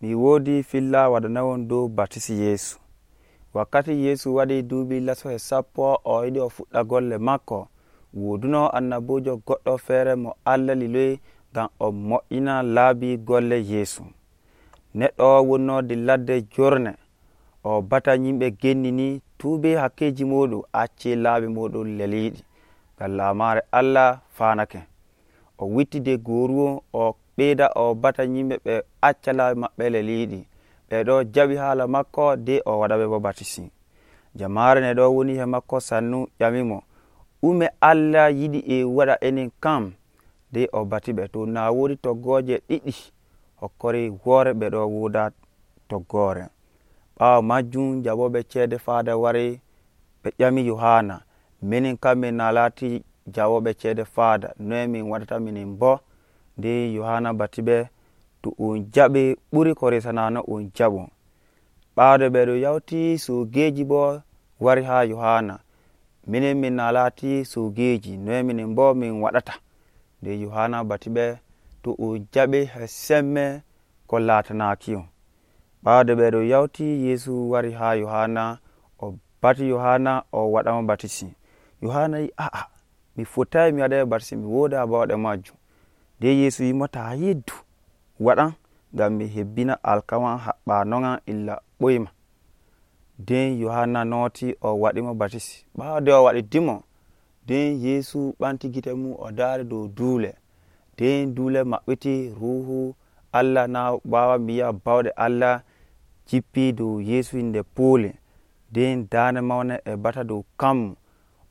mi wodi filla waɗanawon dow batisi Yesu. Wakkati Yesu waɗi duuɓi lasohe 10 o yiɗi o fuɗɗa golle makko, woduno annabojo goɗɗo feere mo Allah liloyi ngam o mo'ina laabi golle Yesu. Neɗɗo wonno ladde jorne o bata yimɓe gennini tuubi hakkeji muɗum, acci laabi muɗum leliɗi ngam lamare Allah fanake. O wittide goruwo o ɓeyda o bata yimɓe ɓe acca laabi maɓɓe leliɗi, ɓe ɗo jaɓi hala makko de o waɗaɓe bo batisi. Jamare ne ɗo woni he makko sannu ƴamimo, ume Allah yiɗi e waɗa enen kam de o batiɓe. To na wodi toggoje ɗiɗi hokkori woore ɓe ɗo woda toggore. Ɓawo majjum jaɓoɓe ceede faada wari ɓe ƴami Yohana, minin kam min na laati jaɓoɓe ceede faada, noye min waɗata minin bo? De Yohana batiɓe, to on jaɓi ɓuri ko resanano on jaɓo. Ɓaade ɓe ɗo yawti sogeji bo wari ha Yohana, minin min na laati sogeji, noye minin bo min waɗata? De Yohana batiɓe, to on jaɓi he semme ko laatanakiyon. Ɓaade ɓe ɗo yawti Yesu wari ha Yohana, o bati Yohana o waɗamo batisi. Yohana yi mi fotai mi waɗa batisi, mi woda bawɗe majjum. De Yesu yimo ta yiddu waɗan ngam mi hebbina alkama haɓɓano'an illa ɓoyma. Den Yohana noti o waɗimo batisi. Ɓaade o waɗi dimo, den Yesu ɓanti gite mum o dari dow duule. Den duule maɓɓiti, ruhu Allah na wawa miya bawɗe Allah jippi dow Yesu inde puule. Den dande mawne e bata dow kanmu.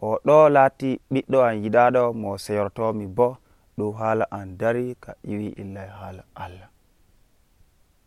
O ɗo laati ɓiɗɗo am yiɗaɗo mo seyortomi bo dow haala an dari ka iwi illa haala Allah.